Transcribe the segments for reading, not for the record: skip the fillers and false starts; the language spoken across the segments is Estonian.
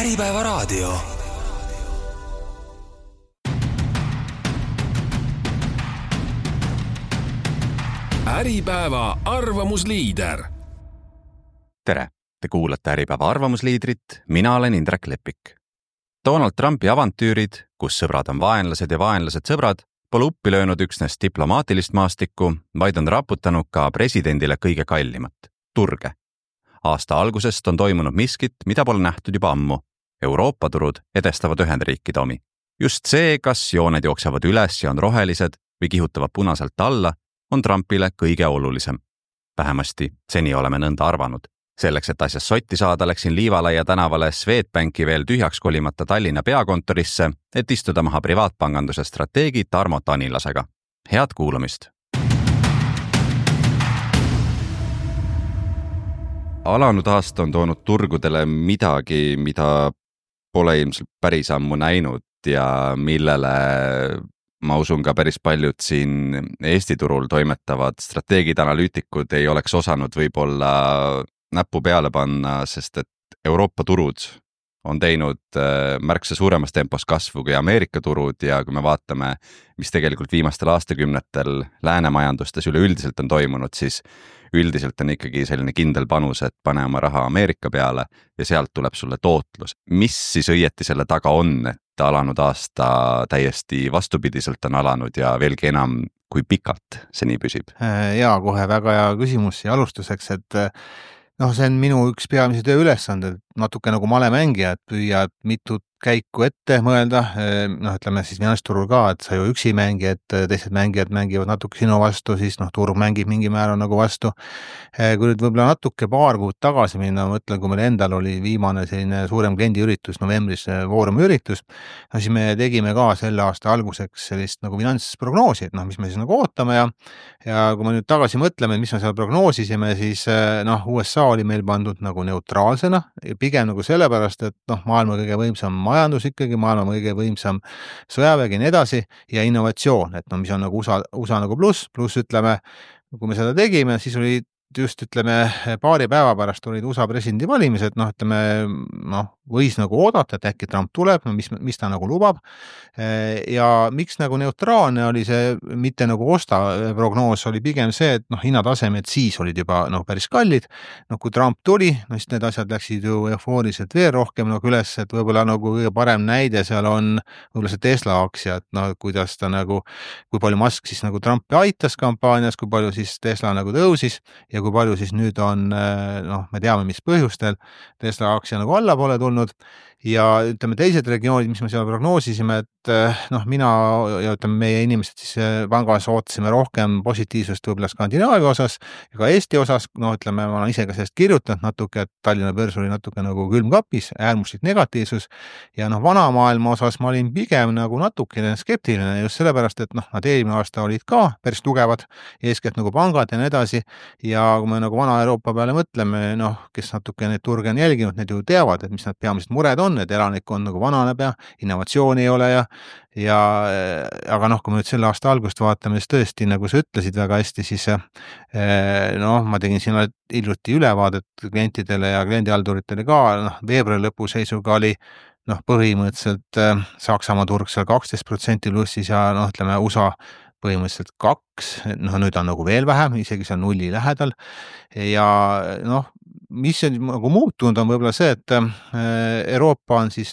Äripäeva raadio. Äripäeva arvamusliider. Tere, te kuulate Äripäeva arvamusliidrit, mina olen Indrek Lepik. Donald Trumpi avantüürid, kus sõbrad on vaenlased ja vaenlased sõbrad, pole uppi löönud üksnes diplomaatilist maastikku, vaid on raputanud ka presidendile kõige kallimat, turge. Aasta algusest on toimunud miskit, mida pole nähtud juba ammu. Euroopa turud edestavad Ühendriikide omi. Just see, kas jooned jooksevad üles ja on rohelised või kihutavad punaselt alla, on Trumpile kõige olulisem. Vähemasti seni oleme nõnda arvanud. Selleks, et asjas sotti saada, läksin Liivalaia tänavale Swedbanki veel tühjaks kolimata Tallinna peakontorisse, et istuda maha privaatpanganduse strateegi Tarmo Tanilasega. Head kuulamist! Alanud aasta on toonud turgudele midagi, mida pole ilmselt päris ammu näinud ja millele ma usun ka päris paljud siin Eesti turul toimetavad strateegid, analüütikud ei oleks osanud võib-olla näppu peale panna, sest et Euroopa turud on teinud märksa suuremas tempos kasvu kui Ameerika turud ja kui me vaatame, mis tegelikult viimastel aastakümnetel läänemajandustes üleüldiselt on toimunud, siis üldiselt on ikkagi selline kindel panus, et pane oma raha Ameerika peale ja sealt tuleb sulle tootlus. Mis siis õieti selle taga on, et alanud aasta täiesti vastupidiselt on alanud ja veelgi enam kui pikalt see nii püsib? Jaa, kohe väga hea küsimus ja alustuseks, et see on minu üks peamise töö ülesanded, natuke nagu malemängija, et püüad mitut käiku ette mõelda, ütleme siis finantsturul ka, et sa ju üksi mängi, et teised mängijad mängivad natuke sinu vastu, siis turg mängib mingi määral nagu vastu. Kui nüüd võib-olla natuke paar kuud tagasi minna, ma mõtlen, kui meil endal oli viimane selline suurem kliendiüritus, novembris Foorumi üritus, siis me tegime ka selle aasta alguseks sellist nagu finantsprognoosi, et mis me siis nagu ootame ja kui me nüüd tagasi mõtleme, mis me seal prognoosisime, siis USA oli meil pandud nagu neutraalsena, pigem nagu sellepärast, et maailma kõige võimsam majandus ikkagi, maailma kõige võimsam sõjavägi ja nii edasi ja innovatsioon, et mis on nagu USA nagu pluss ütleme, kui me seda tegime, siis oli just paari päeva pärast olid USA presidendi valimised, võis nagu oodata, et äkki Trump tuleb, mis ta nagu lubab ja miks nagu neutraalne oli see, mitte nagu osta prognoos oli pigem see, et hinnatasemed siis olid juba päris kallid, kui Trump tuli, siis need asjad läksid ju eufooriliselt veel rohkem üles, et võib-olla kõige parem näide seal on võib-olla see Tesla aktsia, et kuidas ta kui palju Musk siis Trumpi aitas kampaanias, kui palju siis Tesla tõusis ja kui palju siis nüüd on, me teame, mis põhjustel Tesla aktsia allapoole tulnud ja teised regioonid, mis me seal prognoosisime, et mina ja meie inimesed siis pangas ootasime rohkem positiivsust võib-olla Skandinaavia osas ja ka Eesti osas, ma olen ise ka sellest kirjutanud natuke, et Tallinna börs oli natuke külmkapis, äärmuslik negatiivsus ja vanamaailma osas ma olin pigem natukene skeptiline just sellepärast, et nad eelmine aasta olid ka päris tugevad, eeskätt pangad ja nii edasi ja kui me vana Euroopa peale mõtleme, kes natuke neid turge on jälginud, need ju teavad, et mis nad peamised mured on, et elanikkond vananeb ja innovatsiooni ei ole aga kui me nüüd selle aasta algust vaatame, siis tõesti, nagu sa ütlesid väga hästi, siis ma tegin siin hiljuti ülevaadet klientidele ja kliendihalduritele ka, veebruari lõpu seisuga oli põhimõtteliselt Saksamaa turg seal 12% plussis ja USA põhimõtteliselt 2, nüüd on veel vähem, isegi seal nulli lähedal ja mis on muutunud on võib-olla see, et Euroopa on siis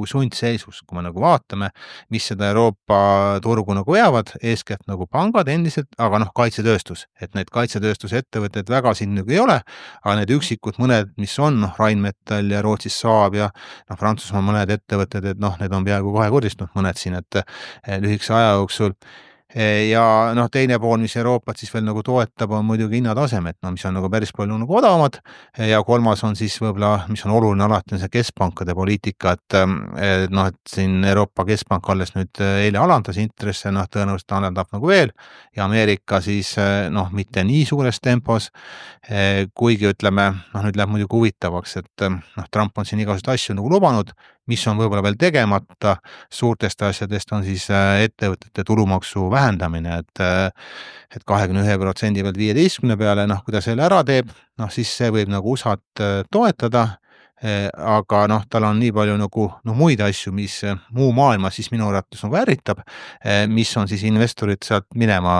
sundseisus, kui me vaatame, mis seda Euroopa turgu veavad, eeskätt pangad endiselt, aga kaitsetööstus, et need kaitsetööstuse ettevõtted väga siin ei ole, aga need üksikud mõned, mis on, Rheinmetall ja Rootsis Saab ja Prantsusmaa mõned ettevõtted, et need on peaaegu kahekordistanud mõned siin, et lühikese aja jooksul ja teine pool, mis Euroopat siis veel toetab, on muidugi hinnatasemed, mis on päris palju odavamad ja kolmas on siis võib-olla, mis on oluline alati, on see keskpankade poliitika, et siin Euroopa Keskpank alles nüüd eile alandas intresse, tõenäoliselt alandab veel ja Ameerika siis mitte nii suures tempos, kuigi ütleme, nüüd läheb muidugi huvitavaks, et Trump on siin igasuguseid asju lubanud, mis on võib-olla veel tegemata, suurtest asjadest on siis ettevõtete tulumaksu vähendamine, et 21% pealt 15 peale, kui ta selle ära teeb, siis see võib USA-t toetada aga noh, tal on nii palju nagu muid asju, mis muu maailma siis minu arvates nagu ärritab, mis on siis investorid sealt minema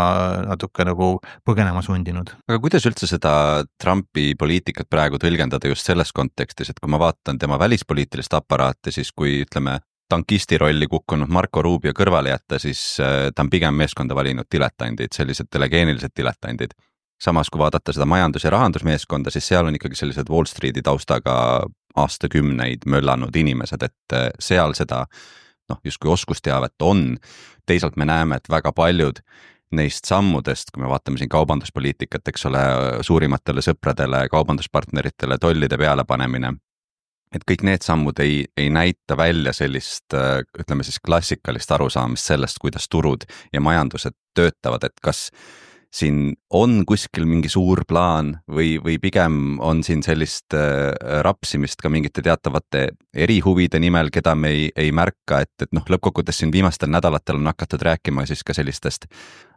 natuke nagu põgenema sundinud. Aga kuidas üldse seda Trumpi poliitikat praegu tõlgendada just selles kontekstis, et kui ma vaatan tema välispoliitilist aparaati, siis kui ütleme tankisti rolli kukkunud Marco Rubio kõrvale jätta, siis ta on pigem meeskonda valinud diletandid, sellised telegeenilised diletandid. Samas kui vaadata seda majandus- ja rahandusmeeskonda, siis seal on ikkagi sellised Wall Streeti taustaga aastakümneid möllanud inimesed, et seal seda justkui oskusteavet on. Teisalt me näeme, et väga paljud neist sammudest, kui me vaatame siin kaubanduspoliitikat, eks ole, suurimatele sõpradele, kaubanduspartneritele tollide peale panemine, et kõik need sammud ei näita välja sellist, ütleme siis klassikalist arusaamist sellest, kuidas turud ja majandused töötavad, et kas siin on kuskil mingi suur plaan või pigem on siin sellist rapsimist ka mingite teatavate erihuvide nimel, keda me ei märka, et lõppkokkuvõttes siin viimastel nädalatel on hakatud rääkima siis ka sellistest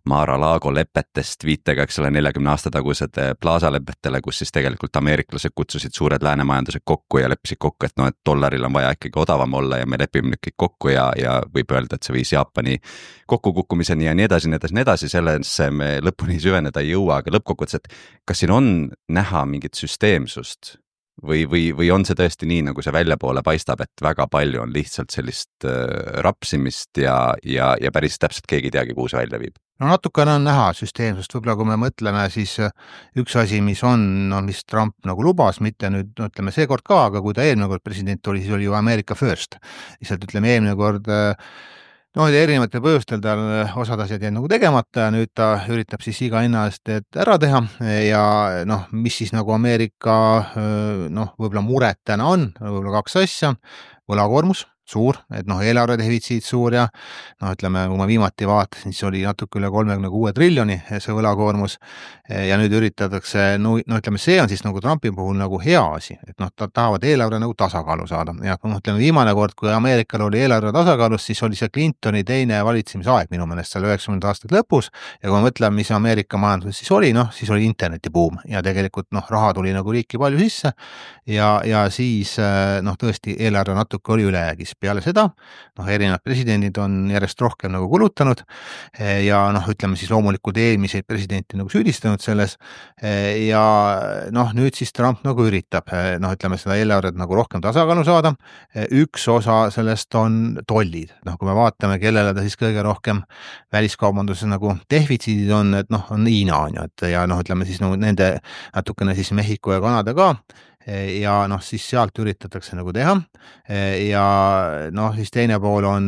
Mar-a-Lago lepetest viitega, eks ole, 40 aasta tagused Plaza lepetele, kus siis tegelikult ameeriklased kutsusid suured läänemajandused kokku ja leppisid kokku, et et dollaril on vaja ikkagi odavam olla ja me lepime nüüd kõik kokku ja võib öelda, et see viis Jaapani kokkukukkumiseni ja nii edasi, sellesse me lõpuni süveneda ei jõua, aga lõppkokkuvõttes, et kas siin on näha mingit süsteemsust või on see tõesti nii, nagu see väljapoole paistab, et väga palju on lihtsalt sellist rapsimist ja päris täpselt keegi ei teagi, kuhu see välja viib? No natukene on näha süsteemsust, võib-olla kui me mõtleme, siis üks asi, mis mis Trump nagu lubas, mitte nüüd ütleme seekord ka, aga kui ta eelmine kord president oli, siis oli ju America First. Lihtsalt ütleme eelmine kord erinevatel põhjustel tal osad asjad jäid nagu tegemata ja nüüd ta üritab siis iga hinna eest ära teha ja mis siis nagu Ameerika võib-olla mured täna on, võib-olla kaks asja, võlakoormus suur, et eelarve defitsiit suur ja ütleme, kui ma viimati vaatasin, siis oli natuke üle 36 triljoni see võlakoormus ja nüüd üritatakse, ütleme, see on siis nagu Trumpi puhul nagu hea asi, et tahavad eelarve nagu tasakaalu saada ja ütleme, viimane kord, kui Ameerikal oli eelarve tasakaalus, siis oli see Clintoni teine valitsemisaeg minu meelest seal 90 aastate lõpus ja kui ma mõtlen, mis Ameerika majanduses siis oli internetibuum ja tegelikult raha tuli nagu riiki palju sisse ja siis tõesti eelarve natuke oli ülejäägis. Peale seda, erinevad presidendid on järjest rohkem nagu kulutanud ja ütleme siis loomulikult eelmiseid presidenti nagu süüdistanud selles ja nüüd siis Trump nagu üritab, ütleme seda eelarvet nagu rohkem tasakaalu saada. Üks osa sellest on tollid, kui me vaatame, kellele ta siis kõige rohkem väliskaubanduses nagu defitsiidid on, et on Hiina on ju, et ja ütleme siis nende natukene siis Mehhiko ja Kanada ka ja siis sealt üritatakse nagu teha ja siis teine pool on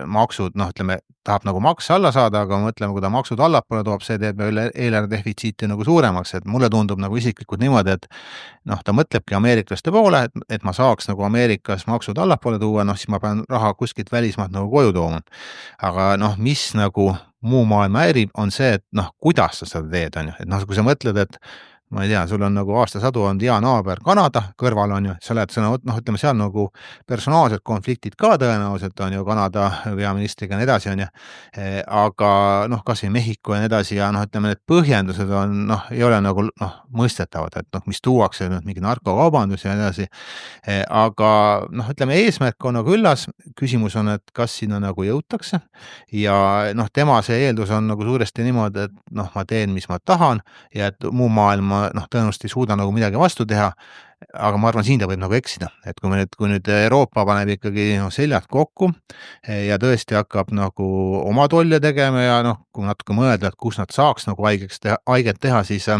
maksud, ütleme, tahab nagu makse alla saada, aga mõtleme, kui ta maksud allapoole toob, see teeb eelarve defitsiiti nagu suuremaks, et mulle tundub nagu isiklikult niimoodi, et ta mõtlebki ameeriklaste poole, et ma saaks nagu Ameerikas maksud allapoole tuua, siis ma pean raha kuskilt välismaalt nagu koju tooma. Aga mis nagu muu maailma häirib, on see, et kuidas sa seda teed, on ju, et kui sa mõtled, et ma ei tea, sul on nagu aastasadu on hea naaber Kanada kõrval on ju, sa oled ütleme seal nagu personaalsed konfliktid ka tõenäoliselt on ju Kanada peaministriga ja nii edasi on ju, aga kas või Mehhiko ja nii edasi ja ütleme, need põhjendused on ei ole nagu mõistetavad, et mis tuuakse mingi narkokaubandus ja nii edasi, aga ütleme, eesmärk on nagu üllas, küsimus on, et kas sinna nagu jõutakse ja tema see eeldus on nagu suuresti niimoodi, et ma teen, mis ma tahan ja et muu maailma tõenäoliselt ei suuda nagu midagi vastu teha, aga ma arvan, siin ta võib nagu eksida, et kui nüüd Euroopa paneb ikkagi seljad kokku ja tõesti hakkab nagu oma tolle tegema ja kui natuke mõelda, et kus nad saaks nagu haiget teha, siis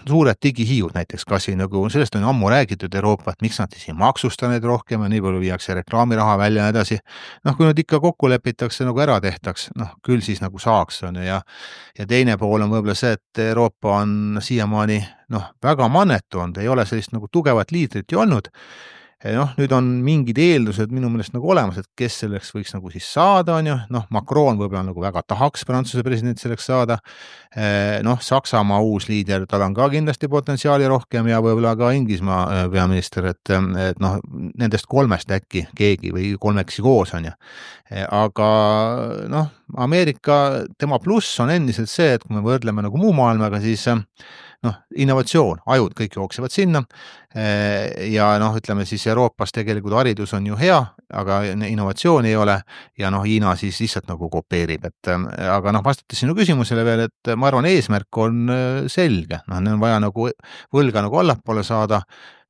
suured digihiiud näiteks kasvõi nagu, sellest on ammu räägitud Euroopa, et miks nad siis ei maksusta neid rohkem ja nii palju viiakse reklaamiraha välja ja edasi. Kui nüüd ikka kokku lepitakse nagu ära tehtaks, küll siis nagu saaks on ja teine pool on võib-olla see, et Euroopa on siiamaani väga mannetu olnud, ei ole sellist nagu tugevat liidrit ju olnud. Nüüd on mingid eeldused minu meelest nagu olemas, et kes selleks võiks nagu siis saada, on ju, Macron võib-olla nagu väga tahaks Prantsuse president selleks saada, Saksamaa uus liider, tal on ka kindlasti potentsiaali rohkem ja võib-olla ka Inglismaa peaminister, et nendest kolmest äkki keegi või kolmeksi koos on ju, aga Ameerika, tema pluss on endiselt see, et kui me võrdleme nagu muu maailmaga, siis noh, innovatsioon, ajud kõik jooksevad sinna ja noh, ütleme siis Euroopas tegelikult haridus on ju hea, aga innovatsiooni ei ole ja noh, Hiina siis lihtsalt nagu kopeerib, et aga noh, vastates sinu küsimusele veel, et ma arvan, eesmärk on selge, noh, neil on vaja nagu võlga nagu allapoole saada,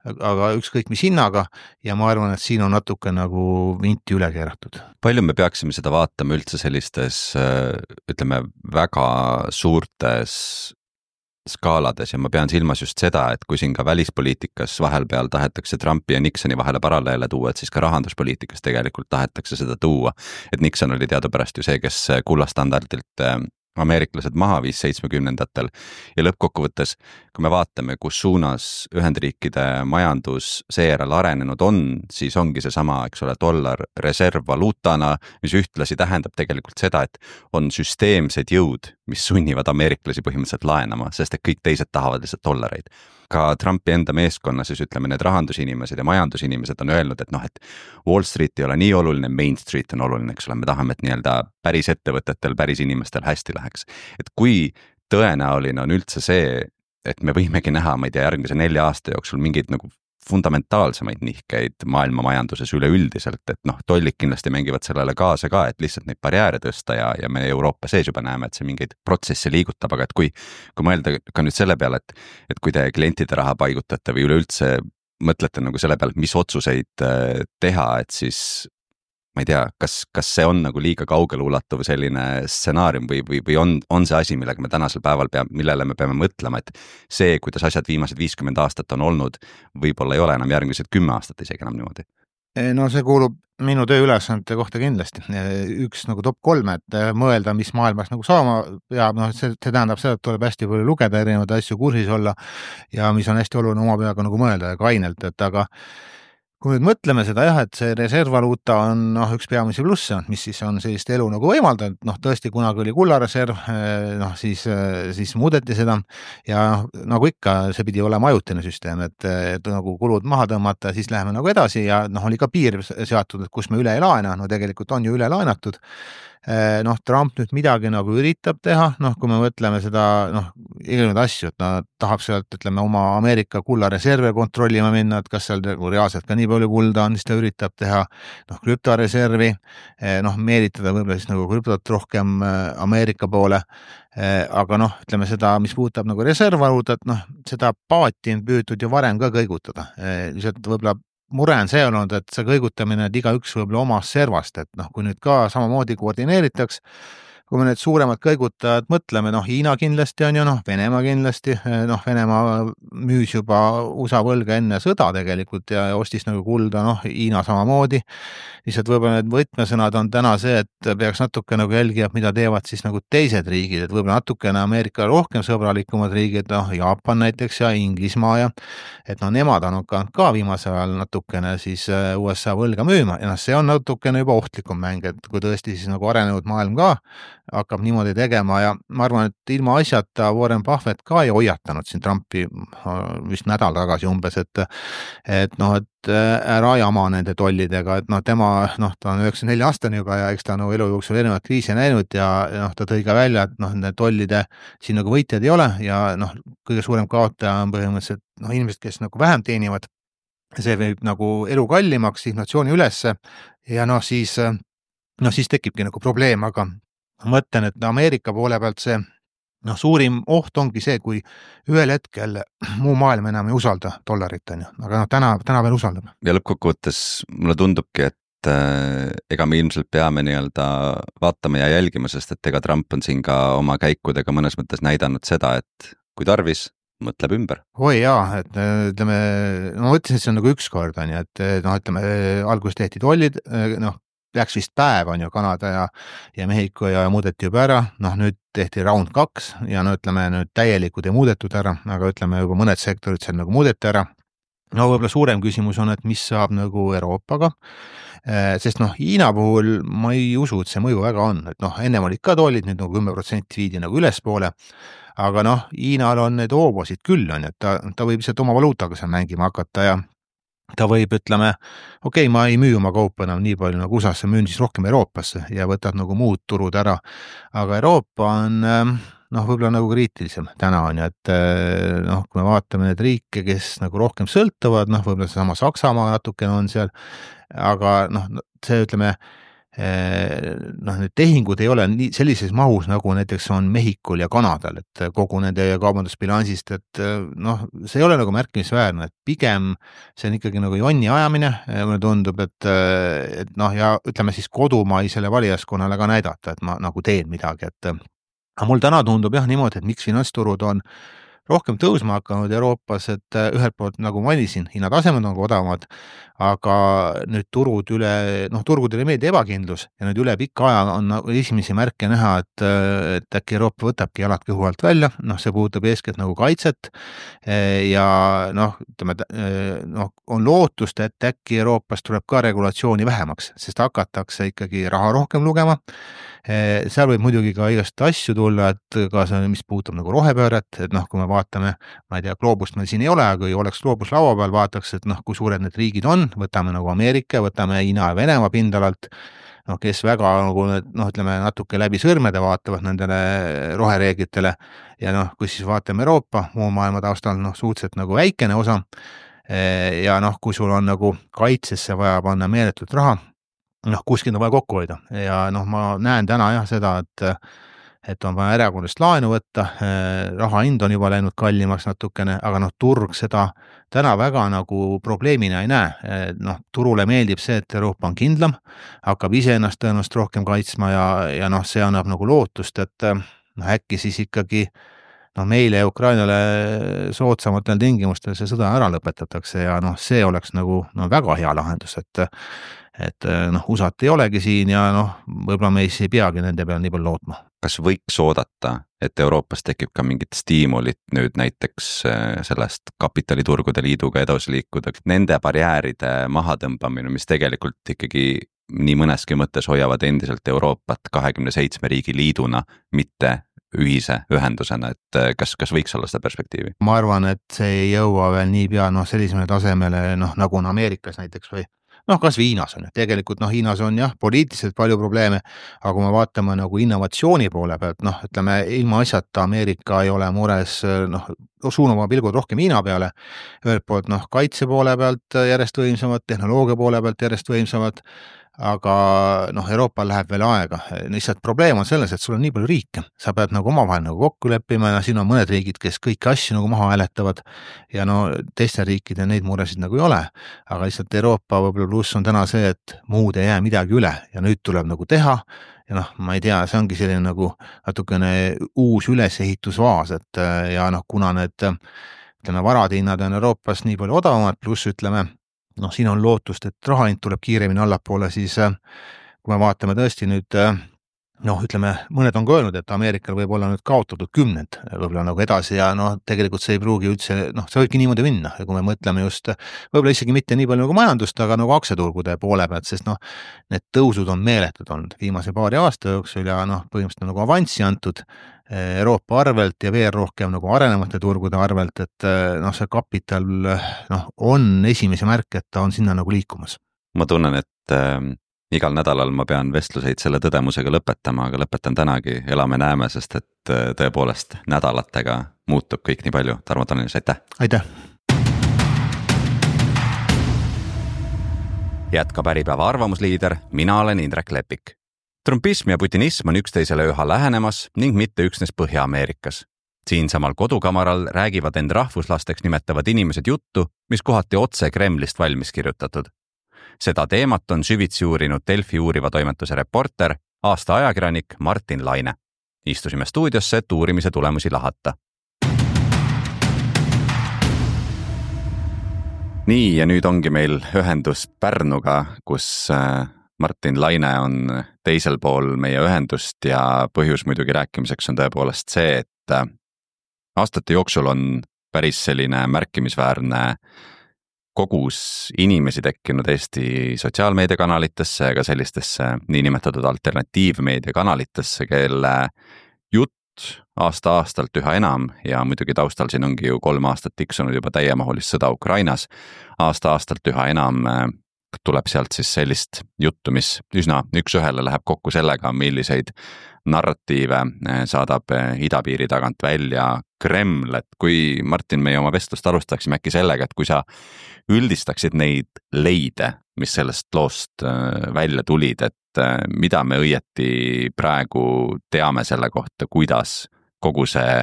aga ükskõik mis hinnaga ja ma arvan, et siin on natuke nagu vinti üle keeratud. Palju me peaksime seda vaatama üldse sellistes, ütleme, väga suurtes skaalades ja ma pean silmas just seda, et kui siin ka välispoliitikas vahelpeal tahetakse Trumpi ja Nixoni vahele paralleele tuua, et siis ka rahanduspoliitikas tegelikult tahetakse seda tuua, et Nixon oli teadupärast ju see, kes kullastandardilt ameeriklased maha viis 70-ndatel ja lõppkokkuvõttes, kui me vaatame, kus suunas Ühendriikide majandus seejärel arenenud on, siis ongi see sama, eks ole, dollar reservvaluutana, mis ühtlasi tähendab tegelikult seda, et on süsteemsed jõud, mis sunnivad ameeriklasi põhimõtteliselt laenama, sest et kõik teised tahavad lihtsalt dollareid. Ka Trumpi enda meeskonna, siis ütleme, need rahandusinimesed ja majandusinimesed on öelnud, et noh, et Wall Street ei ole nii oluline, Main Street on oluline, eks ole, me tahame, et nii-öelda päris ettevõtetel, päris inimestel hästi läheks. Et kui tõenäoline on üldse see, et me võimegi näha, ma ei tea, järgmise 4 aasta jooksul mingeid nagu fundamentaalsemaid nihkeid maailma majanduses üleüldiselt, et noh, tollid kindlasti mängivad sellele kaasa ka, et lihtsalt neid barjääre tõsta ja me Euroopa sees juba näeme, et see mingeid protsesse liigutab, aga et kui mõelda ka nüüd selle peale, et kui te klientide raha paigutate või üleüldse mõtlete nagu selle peale, mis otsuseid teha, et siis ma ei tea, kas see on nagu liiga kaugele ulatuv selline stsenaarium või on see asi, millega me tänasel päeval millele me peame mõtlema, et see, kuidas asjad viimased 50 aastat on olnud, võib-olla ei ole enam järgmised 10 aastat isegi enam niimoodi? No see kuulub minu tööülesannete kohta kindlasti. Üks nagu top 3, et mõelda, mis maailmas nagu saama peab, noh, see tähendab seda, et tuleb hästi palju lugeda, erinevaid asju kursis olla ja mis on hästi oluline oma peaga nagu mõelda ja kainelt, et aga kui nüüd mõtleme seda jah, et see reservvaluuta on üks peamisi plusse, mis siis on sellist elu nagu võimaldanud, tõesti kunagi oli kullareserv, siis muudeti seda ja nagu ikka, see pidi olema ajutine süsteem, et nagu kulud maha tõmmata ja siis läheme nagu edasi ja oli ka piir seatud, et kus me üle ei laena, tegelikult on ju üle laenatud. Trump nüüd midagi nagu üritab teha, kui me mõtleme seda, igasuguseid asju, et ta tahab sealt, ütleme, oma Ameerika kullareserve kontrollima minna, et kas seal reaalselt ka nii palju kulda on, siis ta üritab teha, krüptoreservi, meelitada võib-olla siis nagu krüptot rohkem Ameerika poole, aga ütleme seda, mis puudutab nagu reservvaluutat, seda paati on püütud ju varem ka kõigutada, lihtsalt võib-olla mure on see olnud, et see kõigutamine, et igaüks võib-olla omast servast, et kui nüüd ka samamoodi koordineeritaks, kui me need suuremad kõigutajad mõtleme, Hiina kindlasti on ju, Venemaa kindlasti, Venemaa müüs juba USA võlga enne sõda tegelikult ja ostis nagu kulda, Hiina samamoodi, lihtsalt võib-olla need võtmesõnad on täna see, et peaks natuke nagu jälgida, mida teevad siis nagu teised riigid, et võib-olla natukene Ameerika rohkem sõbralikumad riigid, Jaapan näiteks ja Inglismaa ja et nemad on ka viimasel ajal natukene siis USA võlga müüma ja see on natukene juba ohtlikum mäng, et kui tõesti siis nagu arenenud maailm ka hakkab niimoodi tegema ja ma arvan, et ilma asjata Warren Buffett ka ei hoiatanud siin Trumpi vist nädal tagasi umbes, et ära jama nende tollidega, et tema, ta on 94 aastane juba ja eks ta elu jooksul erinevaid kriise näinud ja ta tõi ka välja, et need tollide siin nagu võitjad ei ole ja kõige suurem kaotaja on põhimõtteliselt inimesed, kes nagu vähem teenivad, see võib nagu elu kallimaks, inflatsiooni ülesse ja siis tekibki nagu probleem, aga ma mõtlen, et Ameerika poole pealt see suurim oht ongi see, kui ühel hetkel muu maailm enam ei usalda dollarit, aga täna veel usaldab. Ja lõppkokkuvõttes mulle tundubki, et ega me ilmselt peame nii-öelda vaatama ja jälgima, sest et ega Trump on siin ka oma käikudega mõnes mõttes näidanud seda, et kui tarvis, mõtleb ümber. Oi jaa, et ütleme, ma mõtlesin, et see on nagu üks kord, et ütleme, alguses tehti tollid, läks vist päev on ju Kanada ja Mehhiko ja muudeti juba ära, nüüd tehti round 2 ja ütleme nüüd täielikud ei muudetud ära, aga ütleme juba mõned sektorid seal nagu muudeti ära. Võib-olla suurem küsimus on, et mis saab nagu Euroopaga, sest Hiina puhul ma ei usu, et see mõju väga on, et ennem olid ka tollid, nüüd nagu 10% viidi nagu ülespoole, aga Hiinal on need hoobosid küll on, et ta võib lihtsalt oma valuutaga seal mängima hakata ja ta võib, ütleme, okei, ma ei müü oma kaupa enam nii palju nagu USA-sse, müün siis rohkem Euroopasse ja võtad nagu muud turud ära, aga Euroopa on, noh, võib-olla nagu kriitilisem täna on ju, et noh, kui me vaatame neid riike, kes nagu rohkem sõltuvad, noh, võib-olla seesama Saksamaa natukene on seal, aga noh, see ütleme, noh, need tehingud ei ole nii sellises mahus, nagu näiteks on Mehhikul ja Kanadal, et kogu nende kaubandusbilansist, et noh, see ei ole nagu märkimisväärne, et pigem see on ikkagi nagu jonni ajamine, mulle tundub, et noh, ja ütleme siis kodumaisele valijaskonnale ka näidata, et ma nagu teen midagi, et aga mul täna tundub jah niimoodi, et miks finantsturud on rohkem tõusma hakanud Euroopas, et ühelt poolt nagu mainisin, hinnatasemed on odavamad, aga nüüd turgudele meeldib ebakindlus ja nüüd üle pika aja on esimesi märke näha, et äkki Euroopa võtabki jalad kõhu alt välja, noh, see puudutab eeskätt nagu kaitset ja noh, ütleme, on lootust, et äkki Euroopas tuleb ka regulatsiooni vähemaks, sest hakatakse ikkagi raha rohkem lugema. Seal võib muidugi ka igast asju tulla, et ka see, mis puudutab nagu rohepööret, et noh, kui me vaatame, ma ei tea, gloobust meil siin ei ole, aga kui oleks gloobus laua peal, vaataks, et noh, kui suured need riigid on, võtame nagu Ameerika, võtame Hiina ja Venemaa pindalalt, noh, kes väga nagu noh, ütleme natuke läbi sõrmede vaatavad nendele rohereeglitele ja noh, kui siis vaatame Euroopa muu maailma taustal, noh, suhteliselt nagu väikene osa ja noh, kui sul on nagu kaitsesse vaja panna meeletult raha, noh, kuskilt on vaja kokku hoida ja noh, ma näen täna jah seda, et on vaja erakordadest laenu võtta, raha hind on juba läinud kallimaks natukene, aga noh, turg seda täna väga nagu probleemina ei näe. Noh, turule meeldib see, et Euroopa on kindlam, hakkab iseennast tõenäoliselt rohkem kaitsma ja noh, see annab nagu lootust, et noh, äkki siis ikkagi noh, meile ja Ukrainale soodsamatel tingimustel see sõda ära lõpetatakse ja noh, see oleks nagu no, väga hea lahendus, et noh, USA-t ei olegi siin ja noh, võib-olla me ei peagi nende peale nii palju lootma. Kas võiks oodata, et Euroopas tekib ka mingit stiimulit nüüd näiteks sellest kapitaliturgude liiduga edasi liikuda, nende barjääride mahatõmbamine, mis tegelikult ikkagi nii mõneski mõttes hoiavad endiselt Euroopat 27 riigi liiduna, mitte ühise ühendusena, et kas võiks olla seda perspektiivi? Ma arvan, et see ei jõua veel nii pea sellisele tasemele, noh, nagu on Ameerikas näiteks või noh, kas Hiinas on, tegelikult noh, Hiinas on jah, poliitiliselt palju probleeme, aga kui me vaatame nagu innovatsiooni poole pealt, noh, ütleme, ilma asjata Ameerika ei ole mures, noh, suunama pilgud rohkem Hiina peale, ühelt poolt noh, kaitse poole pealt järjest võimsamad, tehnoloogia poole pealt järjest võimsamad, aga noh, Euroopal läheb veel aega, lihtsalt probleem on selles, et sul on nii palju riike, sa pead nagu omavahel nagu kokku leppima ja siin on mõned riigid, kes kõiki asju nagu maha hääletavad ja no teiste riikide neid muresid nagu ei ole, aga lihtsalt Euroopa võib-olla pluss on täna see, et muud ei jää midagi üle ja nüüd tuleb nagu teha ja noh, ma ei tea, see ongi selline nagu natukene uus ülesehitusvaas, et ja noh, kuna need ütleme, varadihinnad on Euroopas nii palju odavamad, pluss ütleme, noh, siin on lootust, et rahahind tuleb kiiremini allapoole, siis kui me vaatame tõesti nüüd, noh, ütleme, mõned on ka öelnud, et Ameerikal võib olla nüüd kaotatud 10 võib-olla nagu edasi ja noh, tegelikult see ei pruugi üldse, noh, see võibki niimoodi minna, kui me mõtleme just, võib-olla isegi mitte nii palju nagu majandust, aga nagu aktsiaturgude poole pealt, sest noh, need tõusud on meeletud olnud viimase paari aasta jooksul ja noh, põhimõtteliselt nagu avanssi antud Euroopa arvelt ja veel rohkem nagu arenevate turgude arvelt, et noh, see kapital noh, on esimese märk, et ta on sinna nagu liikumas. Ma tunnen, et igal nädalal ma pean vestluseid selle tõdemusega lõpetama, aga lõpetan tänagi, elame-näeme, sest et tõepoolest nädalatega muutub kõik nii palju. Tarmo Tannis, aitäh! Aitäh! Jätkab Äripäeva arvamusliider, mina olen Indrek Lepik. Trumpism ja putinism on üksteisele üha lähenemas ning mitte üksnes Põhja-Ameerikas. Siinsamal kodukamaral räägivad end rahvuslasteks nimetavad inimesed juttu, mis kohati otse Kremlist valmis kirjutatud. Seda teemat on süvitsi uurinud Delfi uuriva toimetuse reporter, aasta ajakirjanik Martin Laine. Istusime stuudiosse, et uurimise tulemusi lahata. Nii, ja nüüd ongi meil ühendus Pärnuga, kus Martin Laine on teisel pool meie ühendust ja põhjus muidugi rääkimiseks on tõepoolest see, et aastate jooksul on päris selline märkimisväärne kogus inimesi tekkinud Eesti sotsiaalmeediakanalitesse ja ka sellistesse niinimetatud alternatiivmeediakanalitesse, kelle jutt aasta-aastalt üha enam ja muidugi taustal siin ongi ju 3 aastat tiksunud juba täiemahulist sõda Ukrainas, aasta-aastalt üha enam tuleb sealt siis sellist juttu, mis üsna üks-ühele läheb kokku sellega, milliseid narratiive saadab idapiiri tagant välja Kreml, et kui Martin, meie oma vestlust alustaksime äkki sellega, et kui sa üldistaksid neid leide, mis sellest loost välja tulid, et mida me õieti praegu teame selle kohta, kuidas kogu see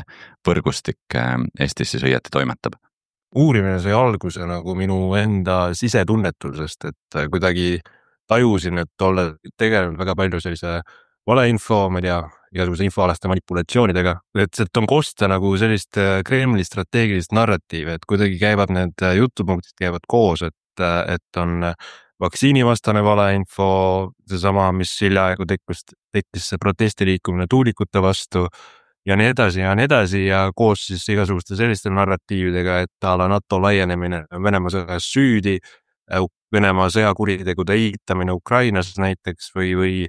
võrgustik Eestis siis õieti toimetab? Uurimine sai alguse nagu minu enda sisetunnetusest, et kuidagi tajusin, et olla tegelenud väga palju sellise valeinfo, ma ei tea, igasuguse infoalaste manipulatsioonidega, et on kosta nagu sellist Kremli strateegilist narratiivi, et kuidagi käivad need jutupunktid käivad koos, et on vaktsiinivastane valeinfo, seesama, mis hiljaaegu tekkis see protestiliikumine tuulikute vastu ja nii edasi ja koos siis igasuguste selliste narratiividega, et a la NATO laienemine Venemaa sõjas süüdi, Venemaa sõjakuritegude eitamine Ukrainas näiteks või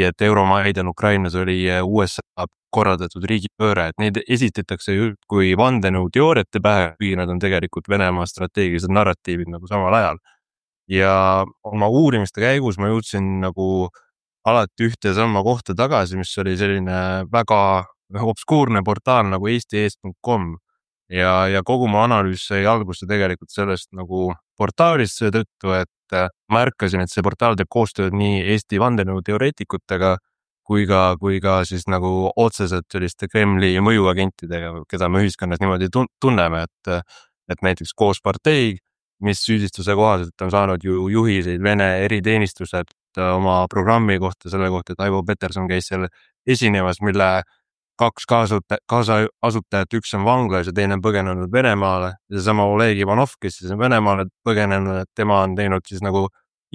et Euromaidan Ukrainas oli USA korraldatud riigipööre, et neid esitatakse kui vandenõuteooriate pähe, kui nad on tegelikult Venemaa strateegilised narratiivid nagu samal ajal. Ja oma uurimiste käigus ma jõudsin nagu alati ühte samma kohta tagasi, mis oli selline väga obskuurne portaal nagu eesti.com ja kogu mu analüüs sai alguse tegelikult sellest nagu portaalist seetõttu, et märkasin, et see portaal teeb koostööd nii Eesti vandenõuteoreetikutega kui ka siis nagu otseselt selliste Kremli mõjuagentidega, keda me ühiskonnas niimoodi tunneme, et näiteks Koos partei, mis süüdistuse kohaselt on saanud ju juhiseid Vene eriteenistused oma programmi kohta, selle kohta, et Aivo Peterson käis seal esinemas, mille 2 kaasasutajat, üks on vanglas ja teine on põgenenud Venemaale. Ja sama Oleg Ivanov, kes siis on Venemaale põgenenud, et tema on teinud siis nagu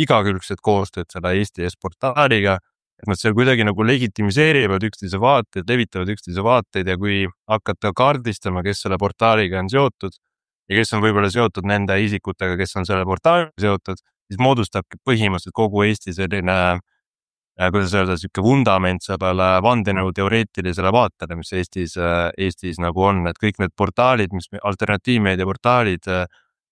igakülgset koostööd selle Eesti portaaliga, et nad seal kuidagi nagu legitimiseerivad üksteise vaateid, levitavad üksteise vaateid ja kui hakata kaardistama, kes selle portaaliga on seotud ja kes on võib-olla seotud nende isikutega, kes on selle portaaliga seotud, siis moodustabki põhimõtteliselt kogu Eesti selline kuidas öelda, siuke vundament sellele vandenõuteoreetilisele vaatele, mis Eestis nagu on, et kõik need portaalid, mis alternatiivmeedia portaalid,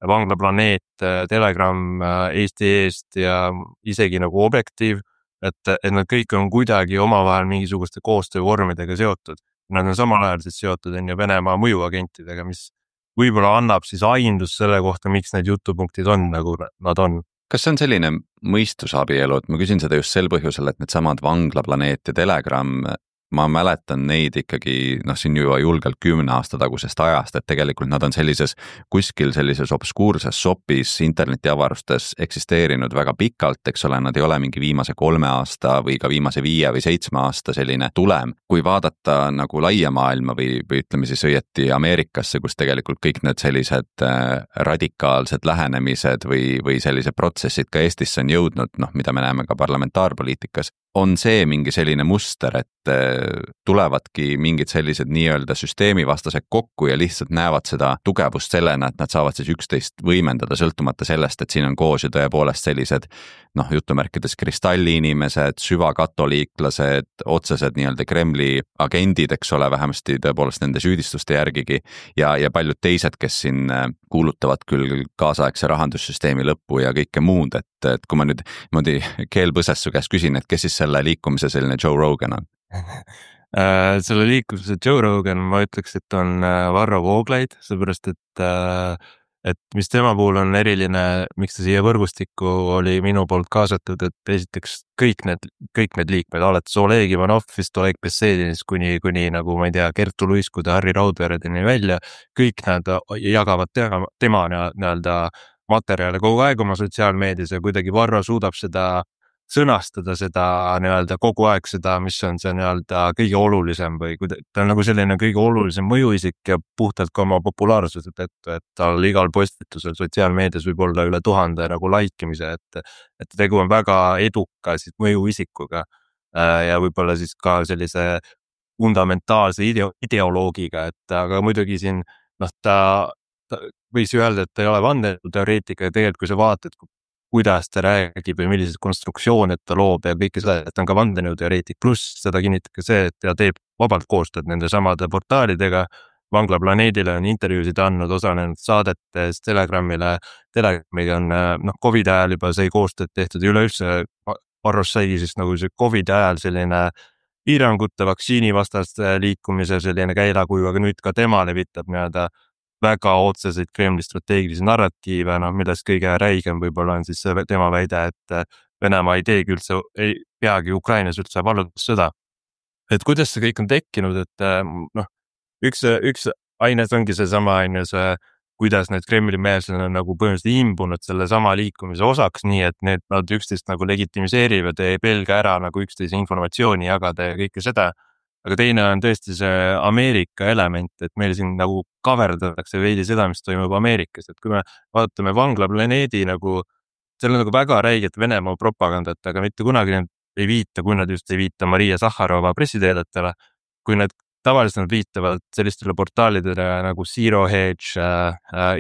Vanglaplaneet, Telegram, Eesti Eest ja isegi nagu Objektiiv, et nad kõik on kuidagi omavahel mingisuguste koostöövormidega seotud. Nad on samal ajal siis seotud Venemaa mõjuagentidega, mis võib-olla annab siis aindus selle kohta, miks need jutupunktid on nagu nad on. Kas see on selline mõistusabielu, et ma küsin seda just sel põhjusel, et need samad Vanglaplaneet ja Telegram, ma mäletan neid ikkagi, siin juba julgelt 10 aasta tagusest ajast, et tegelikult nad on kuskil sellises obskuurses shopis internetiavarustes eksisteerinud väga pikalt, eks ole, nad ei ole mingi viimase 3 aasta või ka viimase 5 või 7 aasta selline tulem. Kui vaadata nagu laia maailma või ütleme siis õieti Ameerikasse, kus tegelikult kõik need sellised radikaalsed lähenemised või sellised protsessid ka Eestisse on jõudnud, mida me näeme ka parlamentaarpoliitikas, on see mingi selline muster, et tulevadki mingid sellised nii-öelda süsteemivastased kokku ja lihtsalt näevad seda tugevust sellena, et nad saavad siis üksteist võimendada sõltumata sellest, et siin on koos ju tõepoolest sellised jutumärkides kristalliinimesed, süvakatoliiklased, otsesed nii-öelda Kremli agendid, eks ole, vähemasti tõepoolest nende süüdistuste järgigi ja paljud teised, kes siin kuulutavad küll kaasaegse rahandussüsteemi lõppu ja kõike muud, et kui ma nüüd keelpõses su käest küsin, et kes siis selle liikumise selline Joe Rogan on? Selle liikumise Joe Rogan ma ütleks, et on Varro Vooglaid, seepärast et mis tema puhul on eriline, miks ta siia võrgustikku oli minu poolt kaasatud, et esiteks kõik need liikmed, alates Oleg Ivanovist, Oleg Bessedinist kuni nagu ma ei tea, Kertu Luiskude, Harri Raudveredeni välja, kõik nad jagavad tema nii-öelda materjale kogu aeg oma sotsiaalmeedias ja kuidagi Varro suudab seda sõnastada seda nii-öelda kogu aeg seda, mis on see nii-öelda kõige olulisem või ta on nagu selline kõige olulisem mõjuisik ja puhtalt ka oma populaarsuse tõttu, et tal igal postitusel sotsiaalmeedias võib olla üle 1000 nagu laikimise, et tegu on väga eduka siis mõjuisikuga ja võib-olla siis ka sellise fundamentaalse ideoloogiga, et aga muidugi siin ta võis öelda, et ta ei ole vandenõuteoreetik ja tegelikult kui sa vaatad, kuidas ta räägib või milliseid konstruktsioone ta loob ja kõike seda, et ta on ka vandenõuteoreetik, pluss seda kinnitab ka see, et ta teeb vabalt koostööd nende samade portaalidega, Vanglaplaneedile on intervjuusid andnud, osalenud saadetes, Telegramiga on Covidi ajal juba sai koostööd tehtud ja üleüldse Barros sai siis nagu see Covidi ajal selline piirangute vaktsiinivastaste liikumise selline käilakuju, aga nüüd ka tema levitab nii-öelda väga otseseid Kremli strateegilisi narratiive, millest kõige räigem võib-olla on siis tema väide, et Venemaa ei teegi üldse, ei peagi Ukrainas üldse vallutussõda. Et kuidas see kõik on tekkinud, et üks aines ongi seesama see, kuidas need Kremli-meelsed on nagu põhimõtteliselt imbunud selle sama liikumise osaks, nii et nad üksteist nagu legitimiseerivad ja ei pelga ära nagu üksteise informatsiooni jagada ja kõike seda. Aga teine on tõesti see Ameerika element, et meil siin nagu kaverdatakse veidi seda, mis toimub Ameerikas, et kui me vaatame Vanglaplaneedi nagu, seal on nagu väga räiget Venemaa propagandat, aga mitte kunagi ei viita, kui nad just ei viita Maria Sahharova pressiteadetele, kui nad tavaliselt nad viitavad sellistele portaalidele nagu Zero Hedge,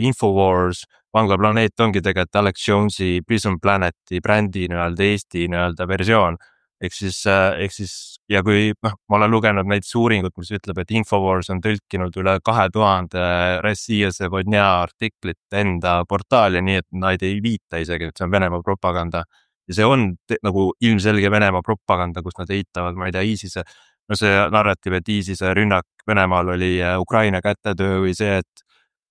Infowars, Vanglaplaneet ongi tegelikult Alex Jones'i Prison Planeti brändi Eesti versioon. Ehk siis, ja kui ma olen lugenud näiteks uuringut, mis ütleb, et Infowars on tõlkinud üle 2000 Rossija Sevodnja artiklit enda portaali, nii et nad ei viita isegi, et see on Venemaa propaganda. Ja see on nagu ilmselge Venemaa propaganda, kus nad eitavad, ma ei tea, ISISe, see narratiiv, et ISISe rünnak Venemaal oli Ukraina kätetöö või see, et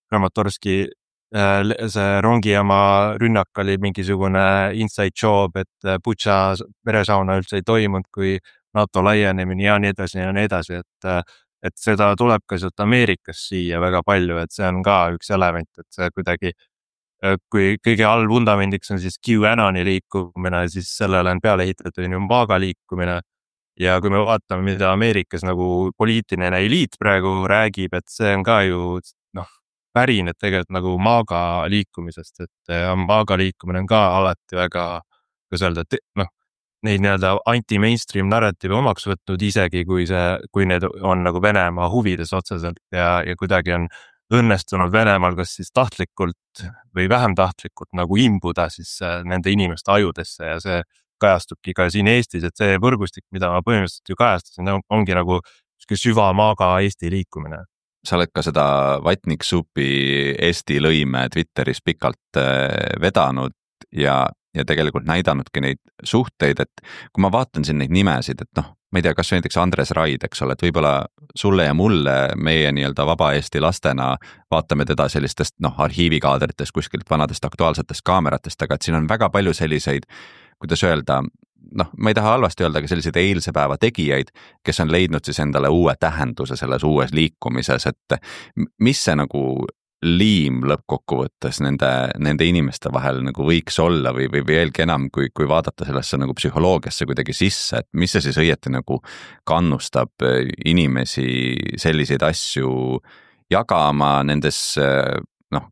Kramatorski see rongijaama rünnak oli mingisugune inside job, et Butša veresauna üldse ei toimunud, kui NATO laienemine ja nii edasi ja nii edasi, et seda tuleb ka sealt Ameerikas siia väga palju, et see on ka üks element, et see kuidagi, kui kõige all vundamendiks on siis QAnoni liikumine, siis sellele on peale ehitatud MAGA liikumine. Ja kui me vaatame, mida Ameerikas nagu poliitiline eliit praegu räägib, et see on ka ju pärinev tegelikult nagu MAGA liikumisest, et MAGA liikumine on ka alati väga, kuidas öelda, neid nii-öelda anti-mainstream narratiive omaks võtnud isegi, kui need on nagu Venemaa huvides otseselt ja kuidagi on õnnestunud Venemaal kas siis tahtlikult või vähem tahtlikult nagu imbuda siis nende inimeste ajudesse ja see kajastubki ka siin Eestis, et see võrgustik, mida ma põhimõtteliselt ju kajastasin, ongi nagu süva MAGA Eesti liikumine. Sa oled ka seda Vatnik Supi Eesti lõime Twitteris pikalt vedanud ja tegelikult näidanudki neid suhteid, et kui ma vaatan siin neid nimesid, et ma ei tea, kas näiteks Andres Raid, eks ole, et võib-olla sulle ja mulle meie nii-öelda vaba Eesti lastena vaatame teda sellistest arhiivikaadritest kuskilt vanadest aktuaalsetest kaameratest, aga et siin on väga palju selliseid, kuidas öelda, ma ei taha halvasti öelda, aga selliseid eilse päeva tegijaid, kes on leidnud siis endale uue tähenduse selles uues liikumises, et mis see nagu liim lõppkokkuvõttes nende inimeste vahel nagu võiks olla või veelgi enam, kui vaadata sellesse nagu psühholoogiasse kuidagi sisse, et mis see siis õieti nagu kannustab inimesi selliseid asju jagama nendes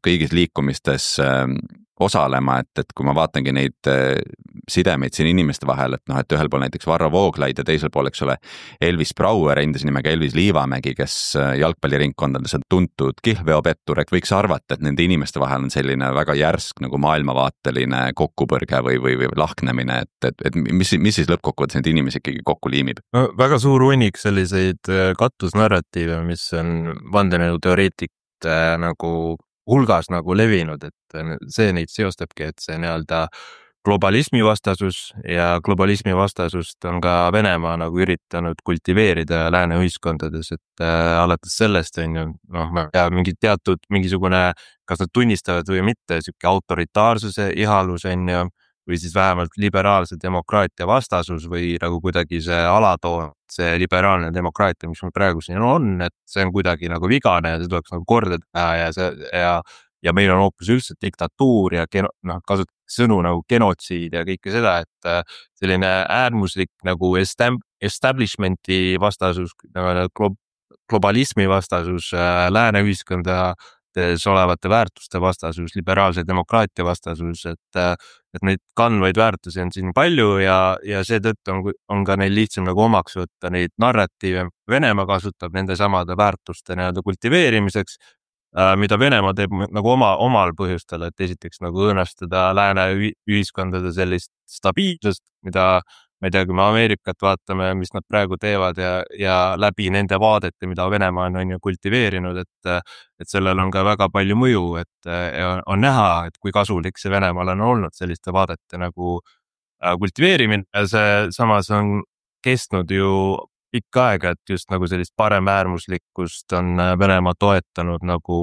kõigis liikumistes osalema, et kui ma vaatangi neid sidemeid siin inimeste vahel, et ühel pool näiteks Varro Vooglaid ja teisel pool, eks ole, Elvis Brauer, endise nimega Elvis Liivamägi, kes jalgpalliringkondades on tuntud kihlveopettur, et võiks arvata, et nende inimeste vahel on selline väga järsk nagu maailmavaateline kokkupõrge või lahknemine, et mis siis lõppkokkuvõttes neid inimesi ikkagi kokku liimib? Väga suur hunnik selliseid katusnarratiive, mis on vandenõuteoreetikute nagu hulgas nagu levinud, et see neid seostabki, et see nii-öelda globalismi vastasus ja globalismi vastasust on ka Venemaa nagu üritanud kultiveerida lääne ühiskondades, et alates sellest on ju, mingisugune, kas nad tunnistavad või mitte, siuke autoritaarsuse ihalus on ju, või siis vähemalt liberaalse demokraatia vastasus või nagu kuidagi see alatoon, see liberaalne demokraatia, mis meil praegu siin on, et see on kuidagi nagu vigane ja see tuleks nagu korda teha ja meil on hoopis üldse diktatuur ja kasutatakse sõnu nagu genotsiid ja kõike seda, et selline äärmuslik nagu establishmenti vastasus, globalismi vastasus, lääne ühiskonda olevate väärtuste vastasus, liberaalse demokraatia vastasus, et neid kandvaid väärtusi on siin palju ja seetõttu on ka neil lihtsam nagu omaks võtta neid narratiive. Venemaa kasutab nende samade väärtuste nii-öelda kultiveerimiseks, mida Venemaa teeb nagu omal põhjustel, et esiteks nagu õõnestada lääne ühiskondade sellist stabiilsust, mida ma ei tea, kui me Ameerikat vaatame, mis nad praegu teevad ja läbi nende vaadete, mida Venemaa on ju kultiveerinud, et sellel on ka väga palju mõju, et on näha, et kui kasulik see Venemaal on olnud selliste vaadete nagu kultiveerimine ja see samas on kestnud ju pikka aega, et just nagu sellist paremäärmuslikkust on Venemaa toetanud nagu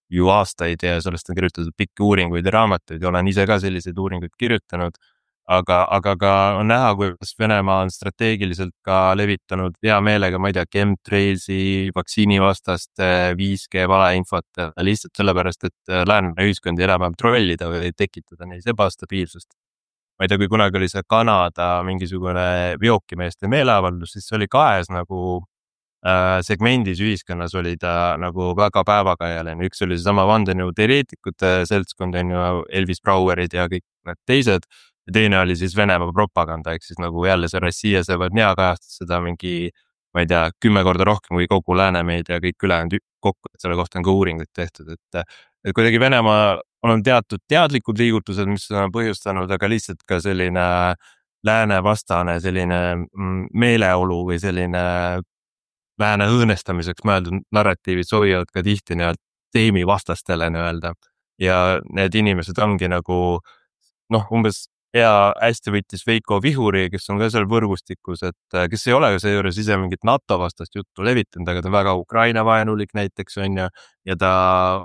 ju aastaid ja sellest on kirjutatud pikki uuringuid ja raamatuid ja olen ise ka selliseid uuringuid kirjutanud. Aga ka on näha, kuidas Venemaa on strateegiliselt ka levitanud hea meelega, ma ei tea, chemtrailsi, vaktsiinivastaste, 5G valeinfot lihtsalt sellepärast, et lääne ühiskondi enam trollida või tekitada neis ebastabiilsust. Ma ei tea, kui kunagi oli see Kanada mingisugune veokimeeste meeleavaldus, siis oli kaes nagu segmendis ühiskonnas oli ta nagu väga päevakajaline. Üks oli seesama vandenõu teoreetikute seltskond, on ju Elvis Brauerid ja kõik need teised. Ja teine oli siis Venemaa propaganda, ehk siis nagu jälle see Rossija Severnia kajastas seda mingi, ma ei tea, 10 korda rohkem kui kogu läänemeedia ja kõik ülejäänud kokku, et selle kohta on ka uuringuid tehtud, et kuidagi Venemaa on teatud teadlikud liigutused, mis on põhjustanud, aga lihtsalt ka selline lääne vastane selline meeleolu või selline lääne õõnestamiseks mõeldud narratiivid sobivad ka tihti teemi vastastele nii-öelda ja need inimesed ongi nagu umbes hästi võttis Veiko Vihuri, kes on ka seal võrgustikus, et kes ei ole seejuures ise mingit NATO vastast juttu levitanud, aga ta on väga Ukraina vaenulik näiteks on ja ta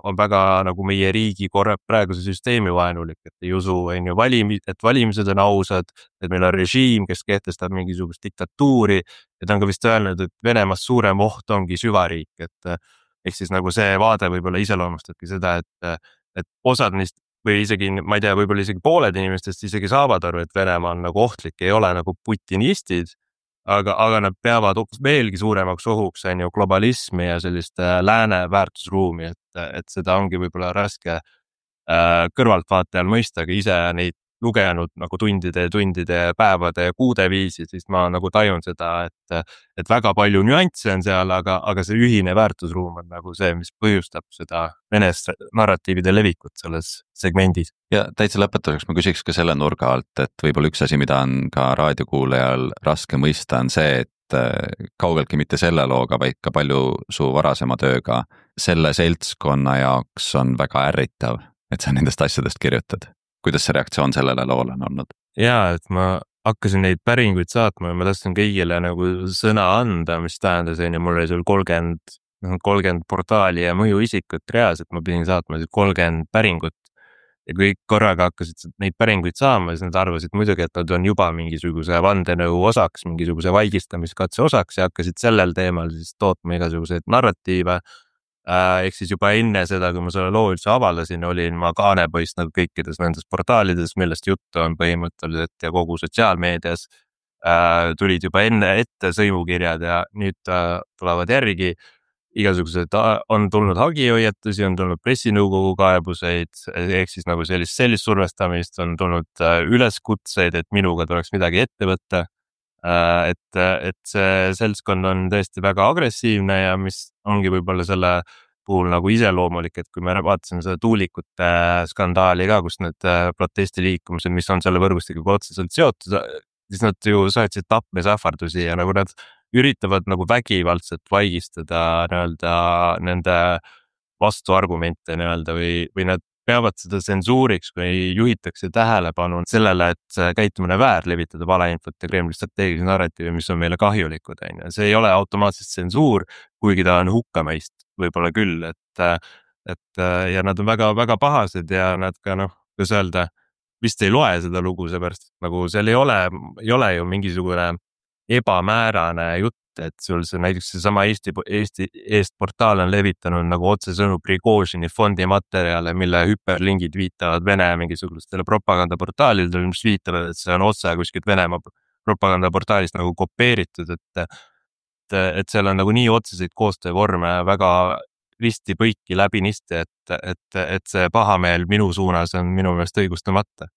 on väga nagu meie riigi praeguse süsteemi vaenulik, et ei usu on ju et valimised on ausad, et meil on režiim, kes kehtestab mingisugust diktatuuri ja ta on ka vist öelnud, et Venemaast suurem oht ongi süvariik, et ehk siis nagu see vaade võib-olla iseloomustabki seda, et osad neist või isegi, ma ei tea, võib-olla isegi pooled inimestest isegi saavad aru, et Venemaa on nagu ohtlik, ei ole nagu putinistid, aga nad peavad veelgi suuremaks ohuks on ju globalismi ja sellist lääne väärtusruumi, et seda ongi võib-olla raske kõrvaltvaatajal mõista, aga ise neid lugenud nagu tundide, päevade ja kuude viisi, siis ma nagu tajun seda, et väga palju nüansse on seal, aga see ühine väärtusruum on nagu see, mis põhjustab seda Vene narratiivide levikut selles segmendis. Ja täitsa lõpetuseks ma küsiks ka selle nurga alt, et võib-olla üks asi, mida on ka raadiokuulajal raske mõista, on see, et kaugeltki mitte selle looga, vaid ka palju su varasema tööga selle seltskonna jaoks on väga ärritav, et sa nendest asjadest kirjutad. Kuidas see reaktsioon sellele loole on olnud? Jaa, et ma hakkasin neid päringuid saatma ja ma tahtsin kõigile nagu sõna anda, mis tähendas, ja mul oli seal 30 portaali ja mõjuisikut reaalselt, ma pidin saatma 30 päringut ja kui korraga hakkasid neid päringuid saama, siis nad arvasid muidugi, et nad on juba mingisuguse vandenõu osaks, mingisuguse vaigistamiskatse osaks ja hakkasid sellel teemal siis tootma igasuguseid narratiive. Ehk siis juba enne seda, kui ma selle loo üldse avaldasin, olin ma kaanepoist nagu kõikides nendes portaalides, millest juttu on põhimõtteliselt ja kogu sotsiaalmeedias tulid juba enne ette sõimukirjad ja nüüd tulevad järgi. Igasugused on tulnud hagihoiatusi, on tulnud pressinõukogu kaebuseid, ehk siis nagu sellist survestamist, on tulnud üleskutseid, et minuga tuleks midagi ette võtta. Et see seltskond on tõesti väga agressiivne ja mis ongi võib-olla selle puhul nagu iseloomulik, et kui me vaatasime seda tuulikute skandaali ka, kus need protestiliikumised, mis on selle võrgustikuga otseselt seotud, siis nad ju saatsid tapmisähvardusi ja nagu nad üritavad nagu vägivaldselt vaigistada nende vastuargumente või nad peavad seda tsensuuriks, kui juhitakse tähelepanu sellele, et käitumine väär levitada valeinfot ja Kremli strateegilisi narratiive, mis on meile kahjulikud. See ei ole automaatselt tsensuur, kuigi ta on hukkamõist võib-olla küll, et ja nad on väga pahased ja nad ka kuidas öelda, vist ei loe seda lugu, seepärast nagu seal ei ole ju mingisugune ebamäärane jutt, et sul see näiteks seesama Eesti Eest portaal on levitanud nagu otsesõnu Prigožini fondi materjale, mille hüperlingid viitavad Vene mingisugustele propagandaportaalidele, mis viitavad, et see on otse kuskilt Venemaa propagandaportaalist nagu kopeeritud, et seal on nagu nii otseseid koostöövorme väga risti põiki läbinisti, et see pahameel minu suunas on minu meelest õigustamata.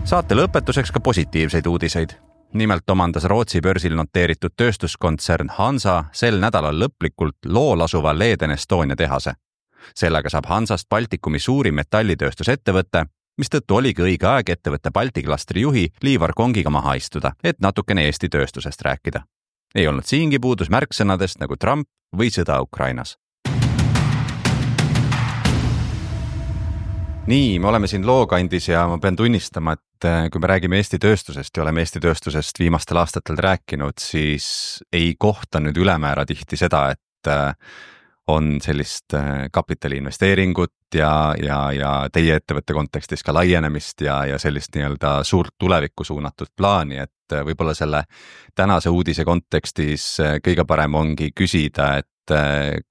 Saate lõpetuseks ka positiivseid uudiseid. Nimelt omandas Rootsi börsil noteeritud tööstuskontsern Hansa sel nädalal lõplikult Lool asuva Leden Estonia tehase. Sellega saab Hansast Baltikumi suurim metallitööstusettevõte, mistõttu oligi õige aeg ettevõtte Balti klastri juhi Liivar Kongiga maha istuda, et natukene Eesti tööstusest rääkida. Ei olnud siingi puudus märksõnadest nagu Trump või sõda Ukrainas. Nii, me oleme siin lookandis ja ma pean tunnistama, et kui me räägime Eesti tööstusest ja oleme Eesti tööstusest viimastel aastatel rääkinud, siis ei kohta nüüd ülemäära tihti seda, et on sellist kapitaliinvesteeringut ja teie ettevõtte kontekstis ka laienemist ja sellist nii-öelda suurt tulevikku suunatud plaani, et võib-olla selle tänase uudise kontekstis kõige parem ongi küsida, et